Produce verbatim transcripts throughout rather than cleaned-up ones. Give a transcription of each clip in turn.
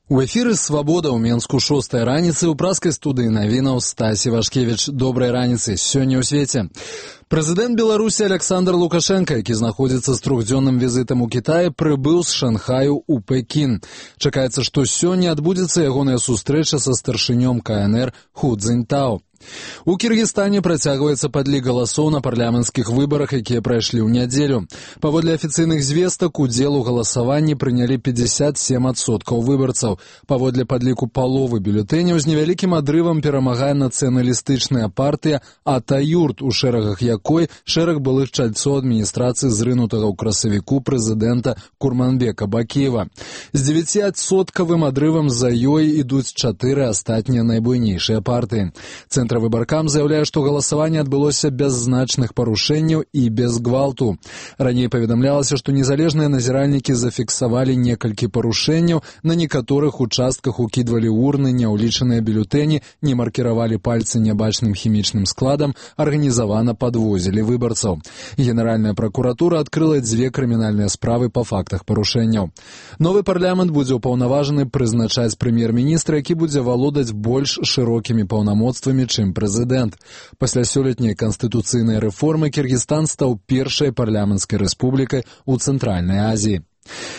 У эфіры «Свабода» ў Менску шостая раніцы, у праскай студыі навінаў Стасі Вашкевіч. Добрай раніцы, сёння ў свеце. Прэзідэнт Беларусі Александр Лукашенко, які знаходзіцца з трохдзённым візітам у Кітаі, прыбыў з Шанхаю ў Пекін. Чакаецца, што сёння адбудзецца ягоная сустрэча са старшынём ка эн эр Ху Цзіньтао. У Кіргізстане працягваецца падлік галасоў на парламенцкіх выбарах, якія прайшлі ў нядзелю. Паводле афіцыйных звестак, удзел у галасаванні прынялі пятьдесят семь адсоткаў выбарцаў. Паводле падліку паловы бюлетэняў з невялікім адрывам перамагае нацыяналістычная партыя Атаюрт, у шэрагах якой шэраг былых чальцоў адміністрацыі зрынутага ў красавіку прэзідэнта Курманбека Бакіева. З дзевяціадсоткавым адрывам за ёй ідуць чатыры астатнія найбуйнейшыя партыі. Цэнтравыбаркам заяўляе, што галасаванне адбылося без значных парушэнняў і без гвалту. Раней паведамлялася, што незалежныя назіральнікі зафіксавалі некалькі парушэнняў, на некаторых участках укідвалі урны, няўлічаныя бюлетэні, не маркіравалі пальцы нябачным хімічным складам, арганізавана падвозілі выбарцаў. Генеральная пракуратура адкрыла дзве крымінальныя справы па фактах парушэнняў. Новы парламент будзе ўпаўнаважаны прызначаць прэм'ер-міністра, які будзе валодаць больш шырокімі паўнамоцтвамі, чым прэзідэнт. Пасля сёлетняй канстытуцыйнай рэформы Кіргізстан стаў першай парламенцкай рэспублікай у Цэнтральнай Азіі.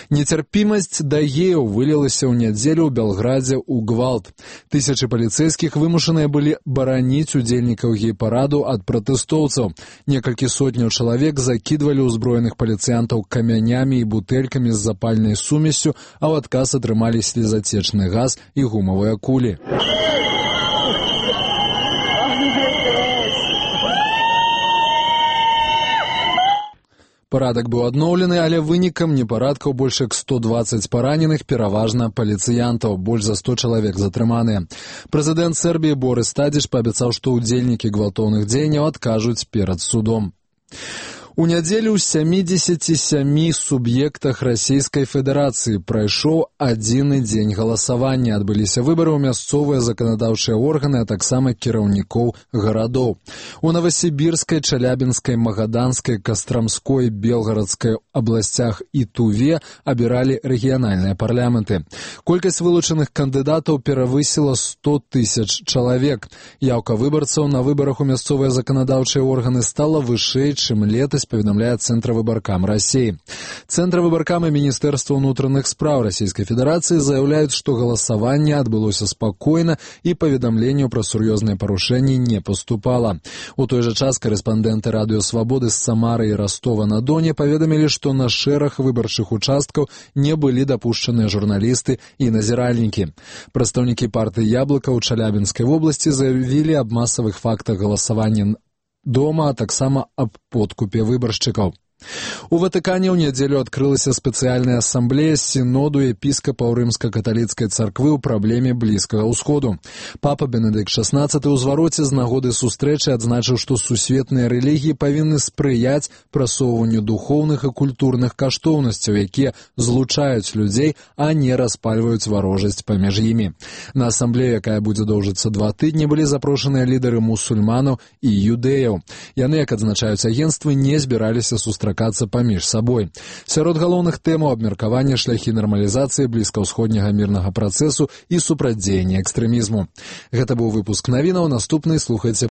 Нецярпімасць да геяў вылілася ў нядзелю ў Белградзе ў гвалт. Тысячы паліцэйскіх вымушаныя былі бараніць удзельнікаў гей-параду ад пратэстоўцаў. Некалькі сотняў чалавек закідвалі ўзброеных паліцыянтаў камянямі і бутэлькамі з запальнай сумессю, а ў адказ атрымалі слезацечны газ і гумавыя кулі. Парадак быў адноўлены, але вынікам непарадкаў больш як сто дваццаць параненых, пераважна паліцыянтаў, больш за сто чалавек затрыманыя. Прэзідэнт Сербіі Борис Тадзіч паабяцаў, што ўдзельнікі гвалтоўных дзеянняў адкажуць перад судом. У нядзелю ў сямідзесяці сямі суб'ектах Расійскай Федэрацыі прайшоў адзіны дзень галасавання. Адбыліся выбары ў мясцовыя заканадаўчыя органы, а таксама кіраўнікоў гарадоў. У Новасібірскай, Чалябінскай, Магаданскай, Кастрамской, Белгарадскай абласцях і Туве абіралі рэгіянальныя парламенты. Колькасць вылучаных кандыдатаў перавысіла сто тысяч чалавек. Яўка выбарцаў на выбарах у мясцовыя заканадаўчыя органы стала вышэй, чым летась, паведамляе Цэнтравыбаркам Расіі. Цэнтравыбаркам і Міністэрства ўнутраных спраў Расійскай Федэрацыі заяўляюць, што галасаванне адбылося спакойна і паведамленняў пра сур'ёзныя парушэнні не паступала. У той жа час карэспандэнты радыё «Свабоды» з Самары і Ростова-на-Доне паведамілі, што на шэраг выбарчых участкаў не былі дапушчаныя журналісты і назіральнікі. Прадстаўнікі партыі «Яблыка» ў Чалябінскай вобласці заявілі аб масавых фактах галасавання дома, а таксама аб подкупе выбаршчыкаў. У Ватыкане ў нядзелю адкрылася спецыяльная асамблея сіноду епіскапаў рымска-каталіцкай царквы ў праблеме Блізкага ўсходу. Папа Бенедыкт шаснаццаты ў звароце з нагоды сустрэчы адзначыў, што сусветныя рэлігіі павінны спрыяць прасоўванню духоўных і культурных каштоўнасцяў, якія злучаюць людзей, а не распальваюць варожасць паміж імі. На асамблею, якая будзе доўжыцца два тыдні, былі запрошаныя лідары мусульманаў і юдэяў. Яны, як адзначаюць агенцтвы, не збіраліся сустракацца паміж сабой. Сярод галоўных тэмаў абмеркавання шляхі нармалізацыі блізкаўсходняга мірнага працэсу і супрацьдзеяння экстрэмізму. Гэта быў выпуск навінаў, наступны слухайце